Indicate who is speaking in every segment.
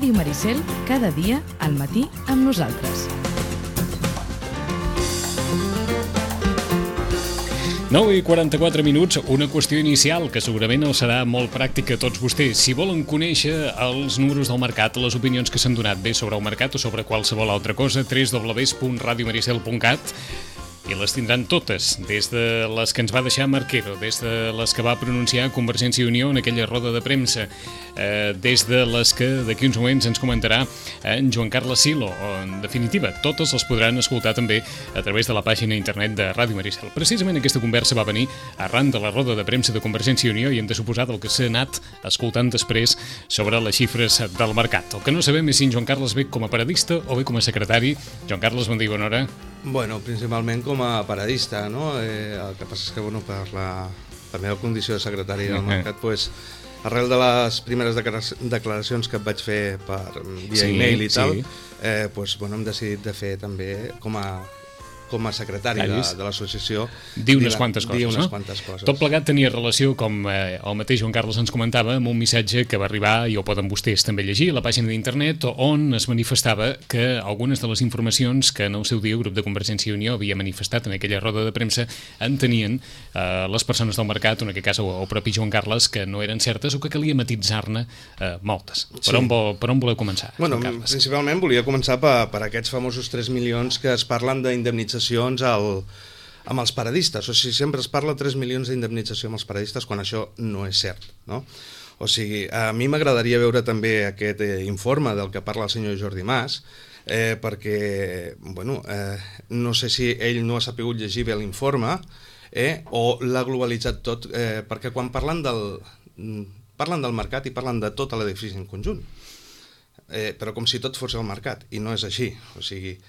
Speaker 1: Ràdio Maricel, cada dia al matí amb nosaltres.
Speaker 2: 9:44, una qüestió inicial que segurament els serà molt pràctica a tots vostès. Si volen conèixer els números del mercat, les opinions que s'han donat bé sobre el mercat o sobre qualsevol altra cosa, www.radiomaricel.cat, i les tindran totes, des de les que ens va deixar Marquero, des de les que va pronunciar Convergència i Unió en aquella roda de premsa, des de les que d'aquí uns moments ens comentarà en Joan Carles Silo, o en definitiva, totes les podran escoltar també a través de la pàgina internet de Ràdio Maricel. Precisament aquesta conversa va venir arran de la roda de premsa de Convergència i Unió i hem de suposar del que s'ha anat escoltant després sobre les xifres del mercat. El que no sabem és si en Joan Carles ve com a paradista o ve com a secretari. Joan Carles, bon dia i bona hora.
Speaker 3: Bueno, principalment com a paradista, no? El que passa és que, bueno, per la meva condició de secretari del mercat, pues, arrel de les primeres declaracions que et vaig fer per via e-mail i tal, pues, bueno, hem decidit de fer també com a secretari de l'associació
Speaker 2: dir unes quantes coses. Tot plegat tenia relació, com el mateix Joan Carles ens comentava, amb un missatge que va arribar, i ho poden vostès també llegir, a la pàgina d'internet, on es manifestava que algunes de les informacions que en el seu dia el grup de Convergència i Unió havia manifestat en aquella roda de premsa entenien les persones del mercat, en aquest cas el propi Joan Carles, que no eren certes o que calia matisar-ne moltes. Per on voleu començar?
Speaker 3: Bueno, principalment volia començar per aquests famosos 3 milions que es parlen d'indemnització amb els paradistes. O sigui, sempre es parla 3 milions d'indemnització amb els paradistes quan això no és cert, no? O sigui, a mi m'agradaria veure també aquest informe del que parla el senyor Jordi Mas, perquè, bueno, no sé si ell no ha sapigut llegir bé l'informe o l'ha globalitzat tot, perquè quan parlen del mercat i parlen de tot l'edifici en conjunt, però com si tot fos el mercat, i no és així. O sigui,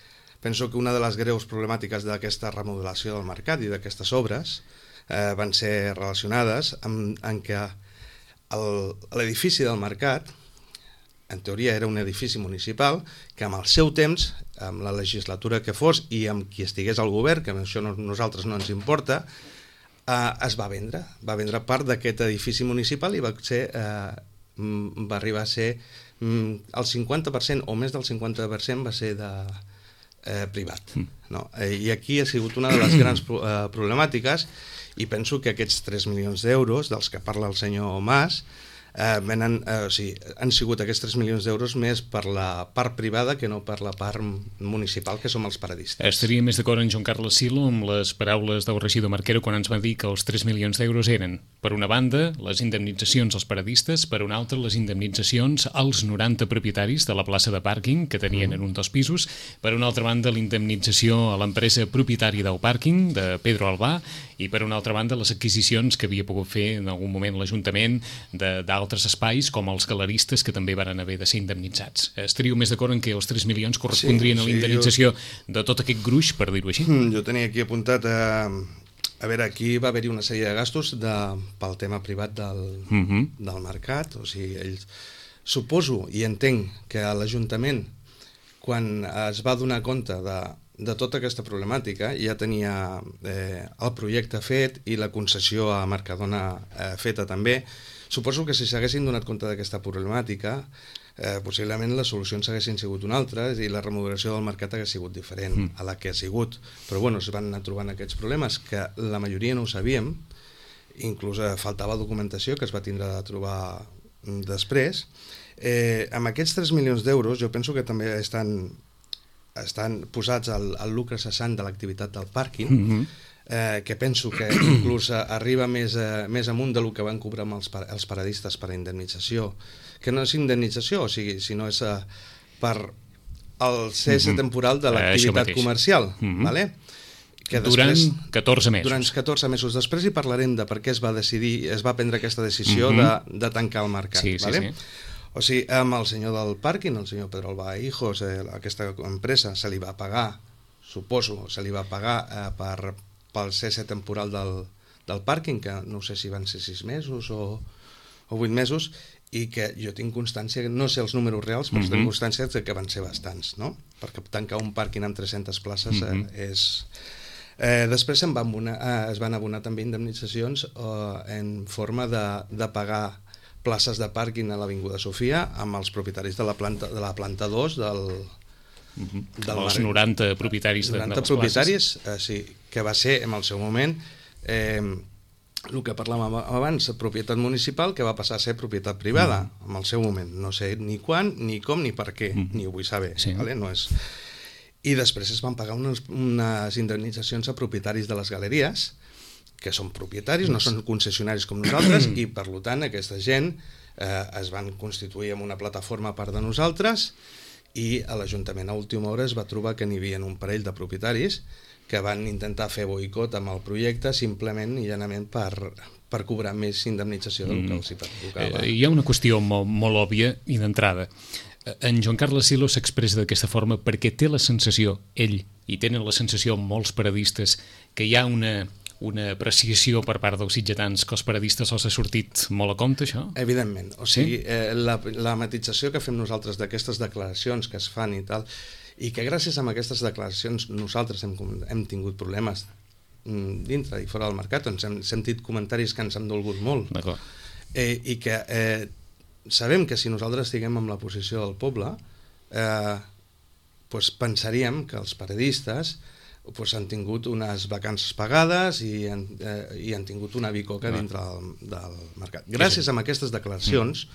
Speaker 3: penso que una de les greus problemàtiques d'aquesta remodelació del mercat i d'aquestes obres van ser relacionades amb que l'edifici del mercat, en teoria era un edifici municipal, que amb el seu temps, amb la legislatura que fos i amb qui estigués al govern, que això a nosaltres no ens importa, es va vendre. Va vendre part d'aquest edifici municipal i va arribar a ser el 50% o més del 50% va ser privat, no? I aquí ha sigut una de les grans problemàtiques, i penso que aquests 3 milions d'euros dels que parla el senyor Mas han sigut aquests 3 milions d'euros més per la part privada que no per la part municipal, que som els paradistes.
Speaker 2: Estaria més d'acord en Joan Carles Silo amb les paraules del regidor Marquero quan ens va dir que els 3 milions d'euros eren, per una banda, les indemnitzacions als paradistes, per una altra, les indemnitzacions als 90 propietaris de la plaça de pàrquing que tenien en un dels pisos, per una altra banda, l'indemnització a l'empresa propietària del pàrquing, de Pedro Albà, i per una altra banda, les adquisicions que havia pogut fer en algun moment l'Ajuntament d'altres espais, com els galeristes, que també van haver de ser indemnitzats. Estaríeu més d'acord en que els 3 milions correspondrien a la indemnització de tot aquest gruix, per dir-ho així?
Speaker 3: Jo tenia aquí apuntat, a veure, aquí va haver-hi una sèrie de gastos pel tema privat del mercat. O sigui, ells, suposo i entenc que l'Ajuntament, quan es va donar compte de tota aquesta problemàtica, ja tenia el projecte fet i la concessió a Mercadona feta també. Suposo que si s'haguessin donat compte d'aquesta problemàtica, possiblement les solucions haguessin sigut una altra i la remodelació del mercat hagués sigut diferent a la que ha sigut. Però bueno, es van anar trobant aquests problemes que la majoria no ho sabíem, inclús faltava documentació que es va tindre de trobar després. Amb aquests 3 milions d'euros jo penso que també estan posats al lucre cessant de l'activitat del pàrquing, que penso que inclús arriba més amunt del que van cobrar els paradistes per indemnització, que no és indemnització, o sigui, sinó és per el cesse temporal de l'activitat comercial, vale?
Speaker 2: Durant 14 mesos.
Speaker 3: Durant 14 mesos. Després hi parlarem de per què es va prendre aquesta decisió de tancar el mercat, vale? O sigui, amb el senyor del pàrquing, el senyor Pedro Albà Hijos, aquesta empresa, se li va pagar, suposo, pel cesse temporal del pàrquing, que no sé si van ser 6 mesos o 8 mesos, i que jo tinc constància, no sé els números reals, però tinc constància que van ser bastants, no? Perquè tancar un pàrquing amb 300 places és... Després es van abonar també indemnitzacions en forma de pagar places de pàrquing a l'Avinguda Sofia amb els propietaris de la planta 2
Speaker 2: els 90 propietaris de les
Speaker 3: propietaris, sí, que va ser en el seu moment el que parlàvem abans, propietat municipal, que va passar a ser propietat privada en el seu moment. No sé ni quan, ni com, ni per què, ni ho vull saber.
Speaker 2: Sí.
Speaker 3: Vale? No és... I després es van pagar unes indemnitzacions a propietaris de les galeries, que són propietaris, no són concessionaris com nosaltres, i per tant aquesta gent es van constituir en una plataforma a part de nosaltres, i a l'Ajuntament a última hora es va trobar que n'hi havia un parell de propietaris que van intentar fer boicot amb el projecte simplement i llanament per cobrar més indemnització del que els hi tocava.
Speaker 2: Hi ha una qüestió molt òbvia i d'entrada. En Joan Carles Silo s'expressa d'aquesta forma perquè té la sensació, ell, i tenen la sensació molts paradistes, que hi ha una apreciació per part dels sitgetans que els paradistes els ha sortit molt a compte, això?
Speaker 3: Evidentment. O sigui, la matització que fem nosaltres d'aquestes declaracions que es fan i tal, i que gràcies a aquestes declaracions nosaltres hem tingut problemes dintre i fora del mercat, on hem sentit comentaris que ens han dolgut molt.
Speaker 2: D'acord.
Speaker 3: I que sabem que si nosaltres estiguem en la posició del poble, pensaríem que els paradistes han tingut unes vacances pagades i han tingut una bicoca dintre del mercat. Gràcies a aquestes declaracions,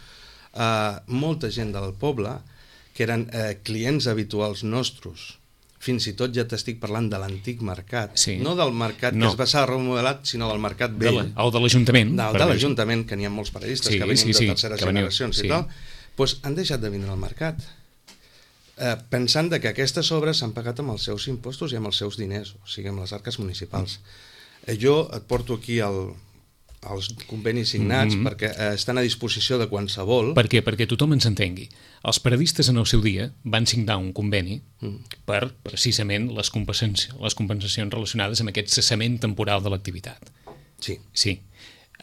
Speaker 3: molta gent del poble, que eren clients habituals nostres, fins i tot ja t'estic parlant de l'antic mercat, no del mercat que es va ser remodelat, sinó del mercat vell.
Speaker 2: O de l'Ajuntament.
Speaker 3: De l'Ajuntament, que n'hi ha molts paradistes que venien de terceres generacions i tal, han deixat de vindre al mercat, pensant que aquestes obres s'han pagat amb els seus impostos i amb els seus diners, o sigui, amb les arques municipals. Jo et porto aquí els convenis signats perquè estan a disposició de qualsevol.
Speaker 2: Per què? Perquè tothom ens entengui. Els paradistes en el seu dia van signar un conveni per precisament les compensacions relacionades amb aquest cessament temporal de l'activitat.
Speaker 3: Sí.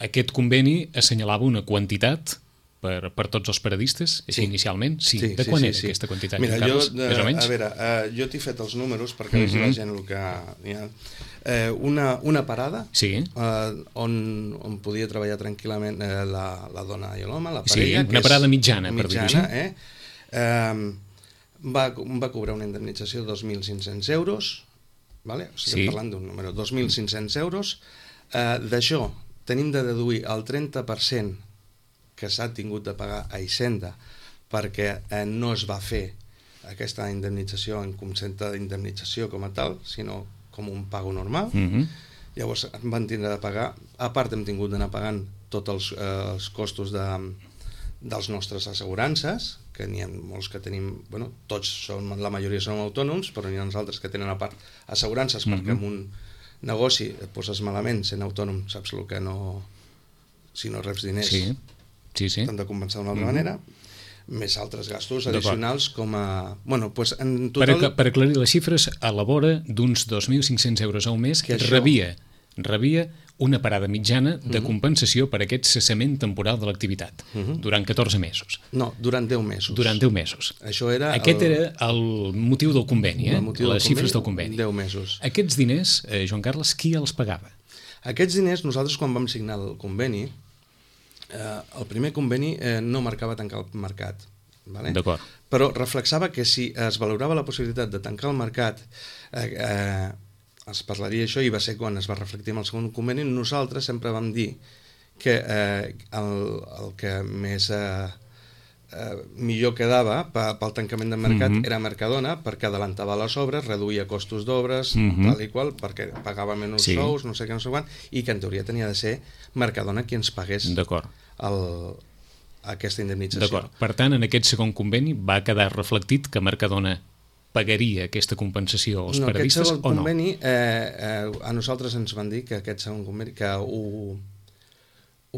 Speaker 2: Aquest conveni assenyalava una quantitat per tots els paradistes, inicialment? Sí. De quan era aquesta quantitat?
Speaker 3: Mira, jo t'he fet els números perquè vegi la gent el que hi ha. Una parada on podia treballar tranquil·lament la dona i l'home, la parella.
Speaker 2: Sí, una parada mitjana, per dir-ho així.
Speaker 3: Va cobrar una indemnització de 2.500 euros, estem parlant d'un número, 2.500 euros. D'això tenim de deduir el 30% que s'ha tingut de pagar a Hisenda perquè no es va fer aquesta indemnització en concepte d'indemnització com a tal, sinó com un pago normal. Llavors van tindre de pagar, a part hem tingut d'anar pagant tots els costos dels nostres assegurances, que n'hi ha molts que tenim, la majoria són autònoms, però n'hi ha uns altres que tenen a part assegurances perquè en un negoci et poses malament sent autònom, saps el que no... Si no reps diners t'han de compensar d'una altra manera, més altres gastos addicionals com a... en total...
Speaker 2: Per aclarir les xifres, a la vora d'uns 2.500 euros al mes que rebia una parada mitjana de compensació per aquest cessament temporal de l'activitat durant 14 mesos.
Speaker 3: No, durant 10 mesos.
Speaker 2: Durant 10 mesos. Aquest era el motiu del conveni, les xifres del conveni.
Speaker 3: 10 mesos.
Speaker 2: Aquests diners, Joan Carles, qui els pagava?
Speaker 3: Aquests diners, nosaltres quan vam signar el conveni, el primer conveni no marcava tancar el mercat,
Speaker 2: D'acord.
Speaker 3: Però reflexava que si es valorava la possibilitat de tancar el mercat, es parlaria això, i va ser quan es va reflectir en el segon conveni. Nosaltres sempre vam dir que el que més millor quedava pel tancament del mercat era Mercadona, perquè adelantava les obres, reduïa costos d'obres, tal i qual, perquè pagava menys sous, no sé què, no sé quant, i que en teoria tenia de ser Mercadona qui ens pagués aquesta indemnització.
Speaker 2: D'acord. Per tant, en aquest segon conveni va quedar reflectit que Mercadona pagaria aquesta compensació als paradistes o no?
Speaker 3: Aquest segon conveni, a nosaltres ens van dir que aquest segon conveni que ho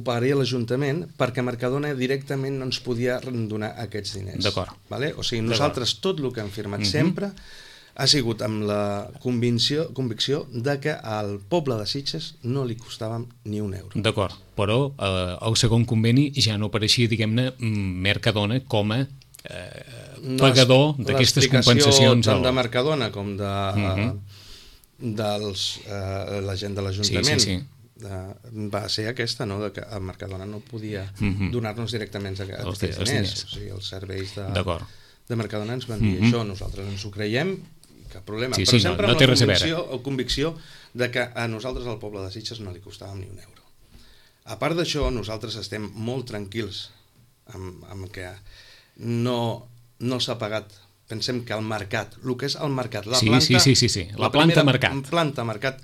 Speaker 3: pagaria l'Ajuntament perquè Mercadona directament no ens podia donar aquests diners.
Speaker 2: D'acord.
Speaker 3: O sigui, nosaltres tot el que hem firmat sempre ha sigut amb la convicció de que al poble de Sitges no li costava ni un euro.
Speaker 2: D'acord, però el segon conveni ja no apareixia, diguem-ne, Mercadona com a pagador d'aquestes compensacions.
Speaker 3: L'explicació tant de Mercadona com de la gent de l'Ajuntament va ser aquesta, no? Que el Mercadona no podia donar-nos directament aquests diners. O sigui, els serveis de Mercadona ens van dir això, nosaltres ens ho creiem, cap problema. Però sempre amb la convicció de que a nosaltres, al poble de Sitges, no li costàvem ni un euro. A part d'això, nosaltres estem molt tranquils amb que no s'ha pagat. Pensem que el mercat, el que és el mercat, la planta mercat,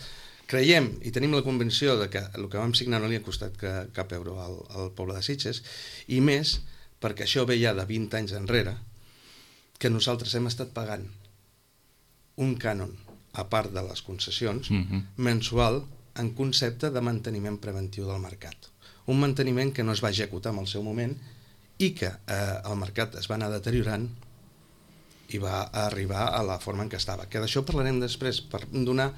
Speaker 3: creiem i tenim la convenció de que el que vam signar no li ha costat cap euro al poble de Sitges, i més perquè això ve ja de 20 anys enrere, que nosaltres hem estat pagant un cànon, a part de les concessions, mensual, en concepte de manteniment preventiu del mercat. Un manteniment que no es va executar en el seu moment i que el mercat es va anar deteriorant i va arribar a la forma en què estava. Que d'això parlarem després, per donar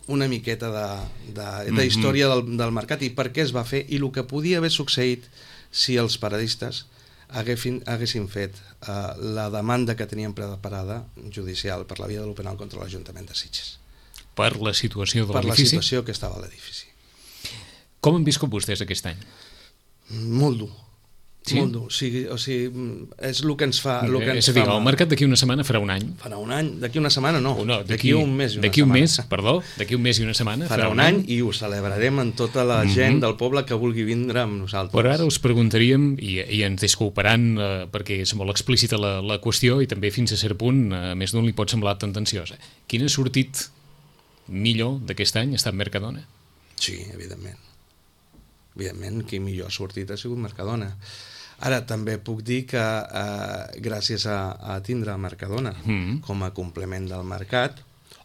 Speaker 3: una miqueta de història del mercat i per què es va fer i el que podia haver succeït si els paradistes haguessin fet la demanda que tenien preparada judicial per la via del penal contra l'Ajuntament de Sitges.
Speaker 2: Per la situació de l'edifici?
Speaker 3: Per la situació que estava a l'edifici.
Speaker 2: Com han viscut vostès aquest any?
Speaker 3: Molt dur. Sí? Molt dur. O sigui, és el que ens fa...
Speaker 2: És a dir, el mercat d'aquí una setmana farà un any.
Speaker 3: Farà un any? D'aquí una setmana no. D'aquí un mes i una setmana.
Speaker 2: D'aquí un mes i una setmana
Speaker 3: farà un any i ho celebrarem amb tota la gent del poble que vulgui vindre amb nosaltres.
Speaker 2: Però ara us preguntaríem, i ens disculparan perquè és molt explícita la qüestió i també fins a cert punt, a més d'un li pot semblar tendenciosa. Quin ha sortit millor d'aquest any ha estat Mercadona?
Speaker 3: Sí, evidentment. Evidentment, qui millor ha sortit ha sigut Mercadona. Ara, també puc dir que gràcies a tindre Mercadona com a complement del mercat,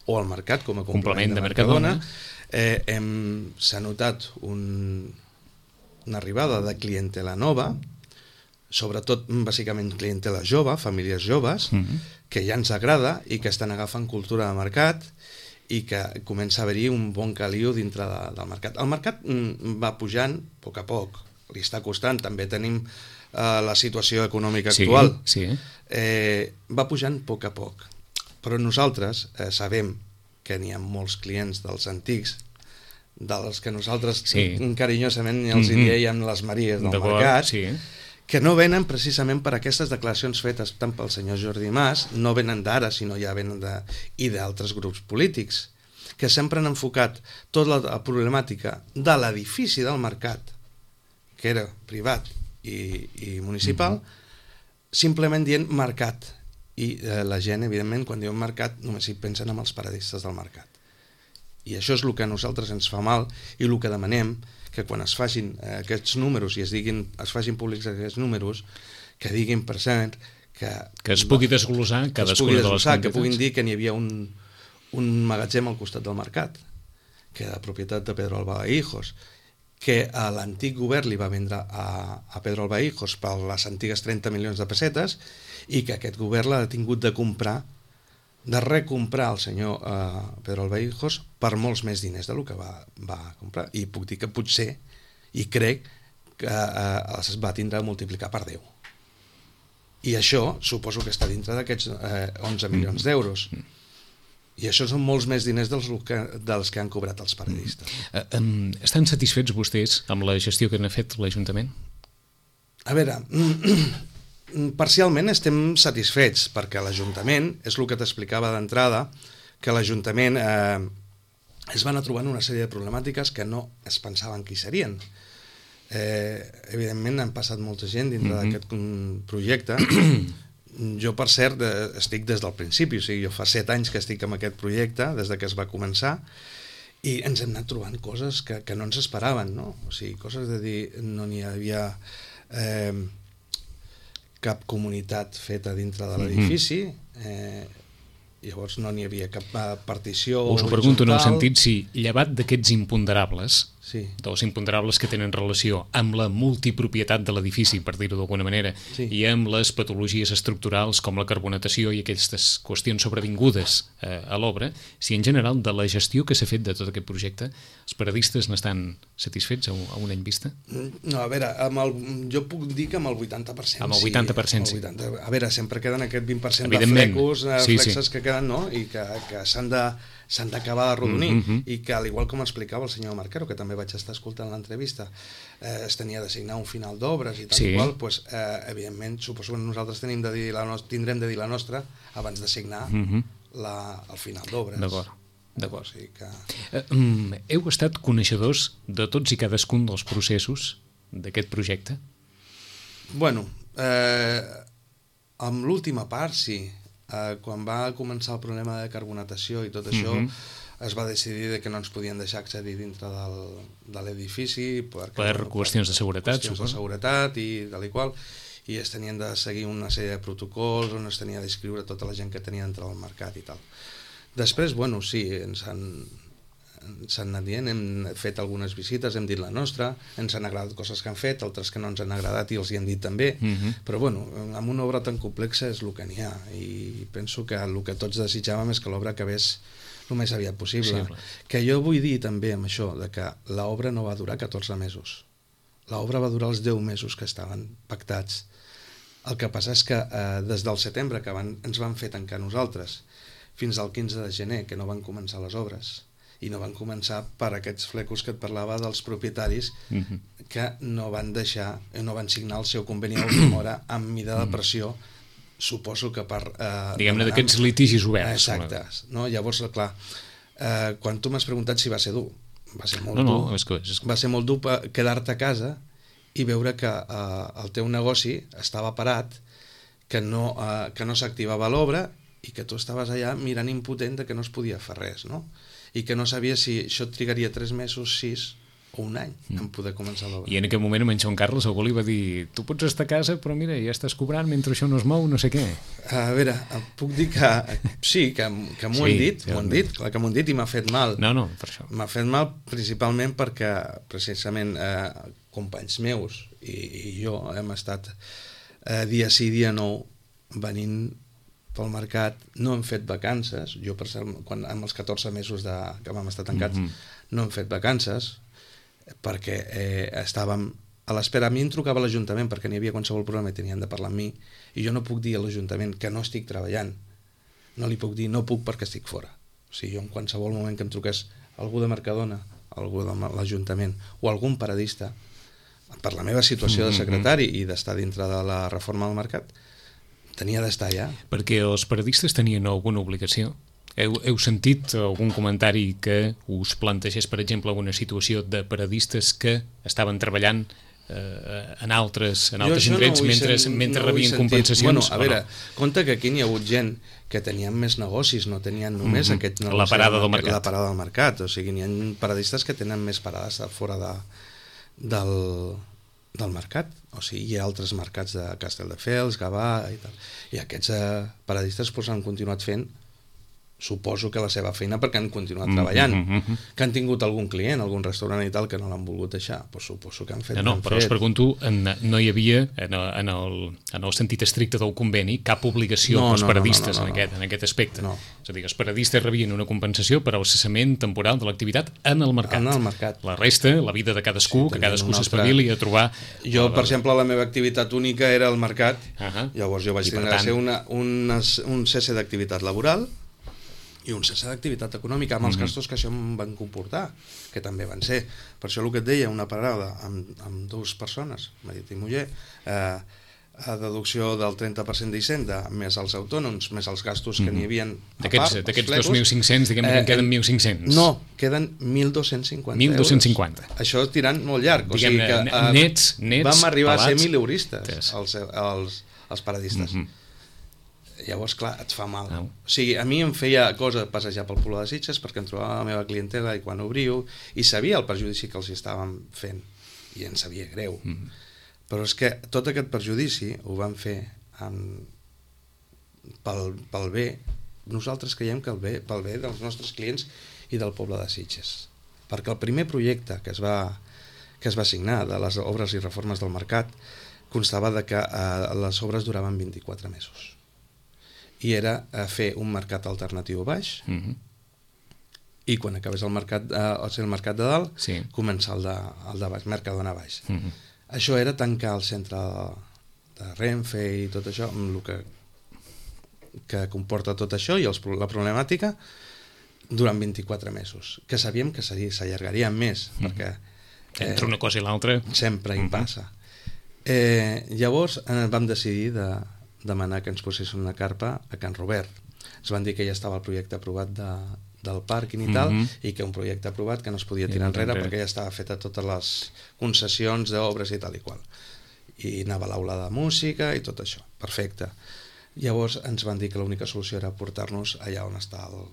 Speaker 3: o el mercat com a complement de Mercadona, s'ha notat una arribada de clientela nova, sobretot, bàsicament, clientela jove, famílies joves, que ja ens agrada i que estan agafant cultura de mercat i que comença a haver-hi un bon caliu dintre del mercat. El mercat va pujant a poc, li està costant, també tenim la situació econòmica actual, va pujant a poc, però nosaltres sabem que n'hi ha molts clients dels antics, dels que nosaltres carinyosament els diem les Maries del mercat, que no venen precisament per aquestes declaracions fetes tant pel senyor Jordi Mas, no venen d'ara, sinó ja venen i d'altres grups polítics, que sempre han enfocat tota la problemàtica de l'edifici del mercat, que era privat i municipal, simplement dient mercat. I la gent, evidentment, quan diuen mercat, només hi pensen en els paradistes del mercat. I això és el que a nosaltres ens fa mal i el que demanem, que quan es facin aquests números i es facin públics aquests números, que diguin per cert
Speaker 2: que es pugui desglossar cadascuna de les quantitats.
Speaker 3: Que puguin dir que n'hi havia un magatzem al costat del mercat, que era de propietat de Pedro Albahijos, que l'antic govern li va vendre a Pedro Albahijos per les antigues 30 milions de pessetes i que aquest govern l'ha tingut de comprar, de recomprar el senyor Pedro Albahijos per molts més diners del que va comprar. I puc dir que potser, i crec, que es va tindre de multiplicar per 10. I això suposo que està dintre d'aquests 11 milions d'euros. I això són molts més diners dels que han cobrat els paradistes.
Speaker 2: Estan satisfets vostès amb la gestió que n'ha fet l'Ajuntament?
Speaker 3: A veure, parcialment estem satisfets, perquè l'Ajuntament, és el que t'explicava d'entrada, que l'Ajuntament es va anar trobant una sèrie de problemàtiques que no es pensaven que hi serien. Evidentment han passat molta gent dintre d'aquest projecte. Jo, per cert, estic des del principi, o sigui, jo fa 7 anys que estic amb aquest projecte, des que es va començar, i ens hem anat trobant coses que no ens esperaven, no? O sigui, coses de dir, no n'hi havia cap comunitat feta dintre de l'edifici, llavors no n'hi havia cap partició
Speaker 2: horitzontal. Us ho pregunto en el sentit si, llevat d'aquests imponderables, dels imponderables que tenen relació amb la multipropietat de l'edifici, per dir-ho d'alguna manera, i amb les patologies estructurals com la carbonatació i aquestes qüestions sobrevingudes a l'obra, si en general de la gestió que s'ha fet de tot aquest projecte, els paradistes n'estan satisfets a un any vista?
Speaker 3: No, a veure, jo puc dir que amb el 80%.
Speaker 2: Amb el 80%,
Speaker 3: sí. A veure, sempre queden aquest 20% de flecos, flexes que queden, no? I que s'han de s'han d'acabar d'arrodonir, i que, al igual com explicava el senyor Marquero, que també vaig estar escoltant l'entrevista, es tenia de signar un final d'obres i tal i qual, doncs, evidentment, suposo que nosaltres tindrem de dir la nostra abans de signar el final d'obres.
Speaker 2: D'acord.
Speaker 3: O sigui que...
Speaker 2: Heu estat coneixedors de tots i cadascun dels processos d'aquest projecte?
Speaker 3: Bueno, amb l'última part, sí. Quan va començar el problema de carbonatació i tot això, es va decidir que no ens podien deixar accedir dintre de l'edifici per
Speaker 2: qüestions de seguretat,
Speaker 3: qüestions de seguretat i tal i qual, i es tenien de seguir una sèrie de protocols on es tenia d'inscriure tota la gent que tenia dintre del mercat i tal. Després, bueno, sí, ens han anat dient, hem fet algunes visites, hem dit la nostra, ens han agradat coses que han fet, altres que no ens han agradat i els hi hem dit també, però bueno, amb una obra tan complexa és el que n'hi ha, i penso que el que tots desitjàvem és que l'obra acabés el més aviat possible. Que jo vull dir també amb això, de que l'obra no va durar 14 mesos, l'obra va durar els 10 mesos que estaven pactats. El que passa és que des del setembre, que ens van fer tancar nosaltres, fins al 15 de gener, que no van començar les obres, i no van començar per aquests flecos que et parlava dels propietaris que no van signar el seu conveni a última hora amb mida de pressió, suposo que per...
Speaker 2: diguem-ne d'aquests litigis oberts.
Speaker 3: Exacte. No? Llavors, clar, quan tu m'has preguntat si va ser dur, va ser molt dur. Va ser molt dur quedar-te a casa i veure que el teu negoci estava parat, que no s'activava l'obra i que tu estaves allà mirant impotent que no es podia fer res, no? I que no sabia si això trigaria 3 mesos, 6 o un any en poder començar l'obra.
Speaker 2: I en aquell moment en Joan Carles algú li va dir: tu pots estar a casa, però mira, ja estàs cobrant mentre això no es mou, no sé què.
Speaker 3: A veure, puc dir que sí, que m'ho han dit, clar que m'ho han dit i m'ha fet mal.
Speaker 2: No, per això.
Speaker 3: M'ha fet mal principalment perquè precisament companys meus i jo hem estat dia sí, dia no venint pel mercat, no hem fet vacances, jo per cert, amb els 14 mesos que vam estar tancats, no hem fet vacances, perquè estàvem a l'espera. A mi em trucava l'Ajuntament perquè n'hi havia qualsevol problema i tenien de parlar amb mi, i jo no puc dir a l'Ajuntament que no estic treballant, no li puc dir no puc perquè estic fora. O sigui, jo en qualsevol moment que em truqués algú de Mercadona, algú de l'Ajuntament o algun paradista, per la meva situació de secretari i d'estar dintre de la reforma del mercat, tenia d'estar allà.
Speaker 2: Perquè els paradistes tenien alguna obligació? Heu sentit algun comentari que us plantegés, per exemple, alguna situació de paradistes que estaven treballant en altres indrets mentre rebien compensacions?
Speaker 3: Bueno, a veure, compte que aquí n'hi ha hagut gent que tenien més negocis, no tenien només aquest negoci,
Speaker 2: la parada del mercat.
Speaker 3: La parada del mercat, o sigui, n'hi ha paradistes que tenen més parades fora del mercat, o sigui, hi ha altres mercats de Castelldefels, Gavà i tal, i aquests paradistes han continuat fent, suposo que la seva feina, perquè han continuat treballant, que han tingut algun client, algun restaurant i tal que no l'han volgut deixar, doncs suposo que han fet.
Speaker 2: No, però us pregunto, no hi havia en el sentit estricte del conveni cap obligació pels paradistes en aquest aspecte. És a dir, els paradistes rebien una compensació per al cessament temporal de l'activitat en el mercat.
Speaker 3: En el mercat.
Speaker 2: La resta, la vida de cadascú, que cadascú s'espavili a trobar...
Speaker 3: Jo, per exemple, la meva activitat única era el mercat, llavors jo vaig tenir de ser un cesse d'activitat laboral i un cessar d'activitat econòmica amb els gastos que això em van comportar, que també van ser. Per això el que et deia, una parada amb 2 persones, marit i muller, a deducció del 30% d'Hisenda, més els autònoms, més els gastos que n'hi havia a part.
Speaker 2: D'aquests 2.500, diguem que en queden 1.500.
Speaker 3: No, queden 1.250
Speaker 2: 1.250.
Speaker 3: Això tirant molt llarg. O sigui que
Speaker 2: nets,
Speaker 3: vam arribar a ser 1.000 euristes, els paradistes. Llavors, clar, et fa mal. O sigui, a mi em feia cosa passejar pel Poble de Sitges perquè em trobava la meva clientela i quan obriu, i sabia el perjudici que els estàvem fent, i ens sabia greu. Però és que tot aquest perjudici ho vam fer pel bé. Nosaltres creiem que pel bé dels nostres clients i del Poble de Sitges. Perquè el primer projecte que es va signar de les obres i reformes del mercat constava de que les obres duraven 24 mesos. I era fer un mercat alternatiu baix i quan acabés el mercat de dalt, començar el de baix, Mercadona baix. Això era tancar el centre de Renfe i tot això, amb el que comporta tot això i la problemàtica durant 24 mesos, que sabíem que s'allargaria més, perquè...
Speaker 2: Entre una cosa i l'altra...
Speaker 3: Sempre hi passa. Llavors vam decidir de demanar que ens posessin una carpa a Can Robert. Ens van dir que ja estava el projecte aprovat del pàrquing i tal, i que un projecte aprovat que no es podia tirar enrere perquè ja estava feta totes les concessions d'obres i tal i qual. I anava a l'aula de música i tot això. Perfecte. Llavors ens van dir que l'única solució era portar-nos allà on està el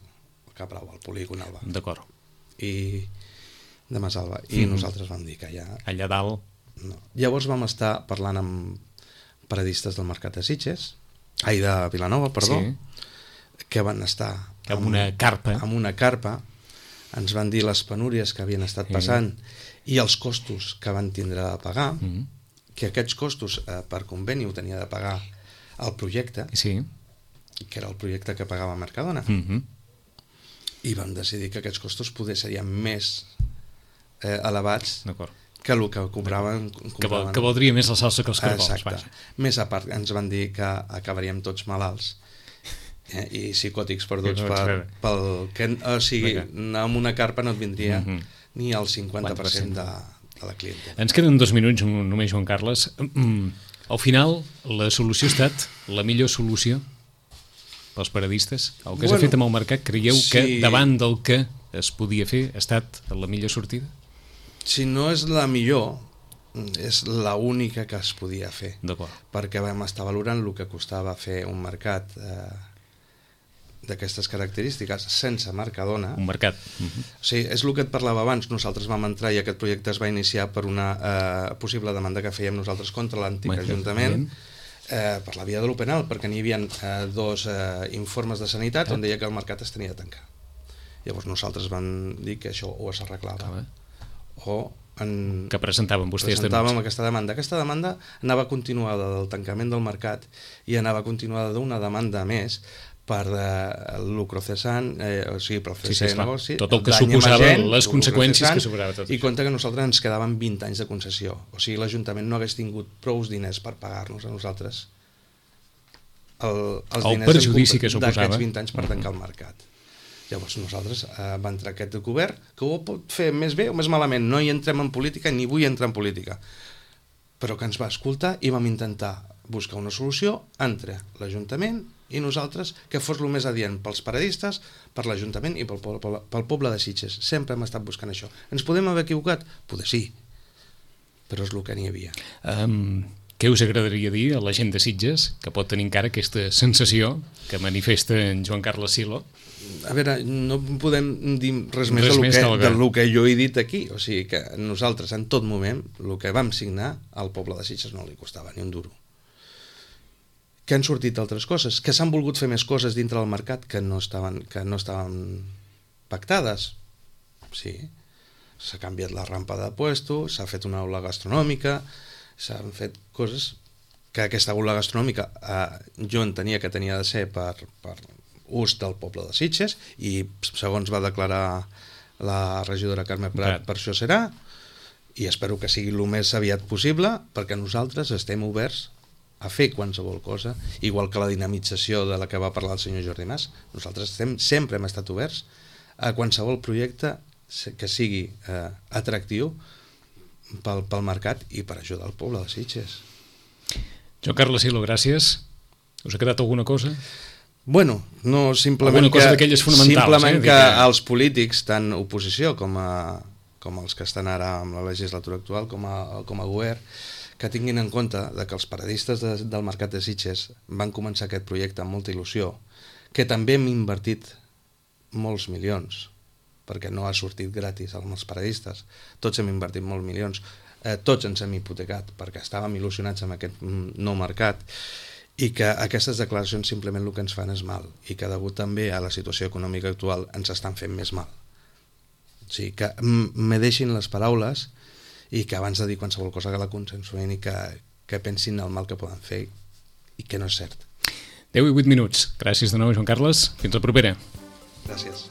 Speaker 3: Cap Brau, el polígon Alba.
Speaker 2: D'acord.
Speaker 3: I de Masalba. I nosaltres vam dir que
Speaker 2: allà dalt...
Speaker 3: No. Llavors vam estar parlant amb paradistes del Mercat de Sitges, de Vilanova, perdó, que van estar
Speaker 2: amb una
Speaker 3: carpa, ens van dir les penúries que havien estat passant i els costos que van tindre de pagar, que aquests costos per conveni ho tenia de pagar el projecte, que era el projecte que pagava Mercadona, i vam decidir que aquests costos poder serien més elevats que el que cobraven...
Speaker 2: Que valdria més la salsa que els cargols.
Speaker 3: Exacte. Més a part, ens van dir que acabaríem tots malalts i psicòtics perduts o sigui, amb una carpa no et vindria ni el 50% de la clientela.
Speaker 2: Ens queden 2 minuts només, Joan Carles. Al final, la solució ha estat la millor solució pels paradistes? El que s'ha fet amb el mercat, creieu que davant del que es podia fer ha estat la millor sortida?
Speaker 3: Si no és la millor, és l'única que es podia fer. Perquè vam estar valorant el que costava fer un mercat d'aquestes característiques sense Mercadona.
Speaker 2: Un mercat.
Speaker 3: Sí, és el que et parlava abans. Nosaltres vam entrar i aquest projecte es va iniciar per una possible demanda que fèiem nosaltres contra l'antic Ajuntament per la via de lo penal, perquè n'hi havia 2 informes de sanitat on deia que el mercat es tenia de tancar. Llavors nosaltres vam dir que això o s'arreglava
Speaker 2: que presentàvem vostès
Speaker 3: aquesta demanda. Aquesta demanda anava continuada del tancament del mercat i anava continuada d'una demanda més per l'Ucrocesant, o sigui, pel cese de negoci,
Speaker 2: tot el que suposava les conseqüències que suposava tot.
Speaker 3: I compte que nosaltres ens quedaven 20 anys de concessió. O sigui, l'Ajuntament no hagués tingut prou diners per pagar-nos a nosaltres els diners
Speaker 2: perjudici que suposava
Speaker 3: d'aquests 20 anys per tancar el mercat. Llavors nosaltres va entrar aquest govern que ho pot fer més bé o més malament, no hi entrem en política ni vull entrar en política, però que ens va escoltar i vam intentar buscar una solució entre l'Ajuntament i nosaltres que fos el més adient pels paradistes, per l'Ajuntament i pel poble de Sitges. Sempre hem estat buscant això. Ens podem haver equivocat? Poder sí, però és el que n'hi havia.
Speaker 2: Què us agradaria dir a la gent de Sitges que pot tenir encara aquesta sensació que manifesta en Joan Carles Silo?
Speaker 3: A veure, no podem dir res més del que jo he dit aquí. O sigui que nosaltres en tot moment el que vam signar al poble de Sitges no li costava ni un duro. Que han sortit altres coses, que s'han volgut fer més coses dintre del mercat que no estaven pactades. Sí, s'ha canviat la rampa de puesto, s'ha fet una aula gastronòmica, s'han fet coses que aquesta aula gastronòmica jo entenia que tenia de ser per ús del poble de Sitges i segons va declarar la regidora Carme Prat per això serà, i espero que sigui el més aviat possible perquè nosaltres estem oberts a fer qualsevol cosa, igual que la dinamització de la que va parlar el senyor Jordi Mas. Nosaltres sempre hem estat oberts a qualsevol projecte que sigui atractiu pel mercat i per ajudar el poble de Sitges.
Speaker 2: Joan Carles Silo, gràcies. Us ha quedat alguna cosa?
Speaker 3: Bueno, no, simplement que els polítics, tant oposició com els que estan ara amb la legislatura actual, com a govern, que tinguin en compte que els paradistes del Mercat de Sitges van començar aquest projecte amb molta il·lusió, que també hem invertit molts milions, perquè no ha sortit gratis amb els paradistes, tots hem invertit molts milions, tots ens hem hipotecat perquè estàvem il·lusionats amb aquest nou mercat, i que aquestes declaracions simplement el que ens fan és mal i que degut també a la situació econòmica actual ens estan fent més mal. O sigui, que me deixin les paraules i que abans de dir qualsevol cosa que la consensuïn i que pensin el mal que poden fer i que no és cert.
Speaker 2: 10 i 8 minuts. Gràcies de nou, Joan Carles. Fins la propera.
Speaker 3: Gràcies.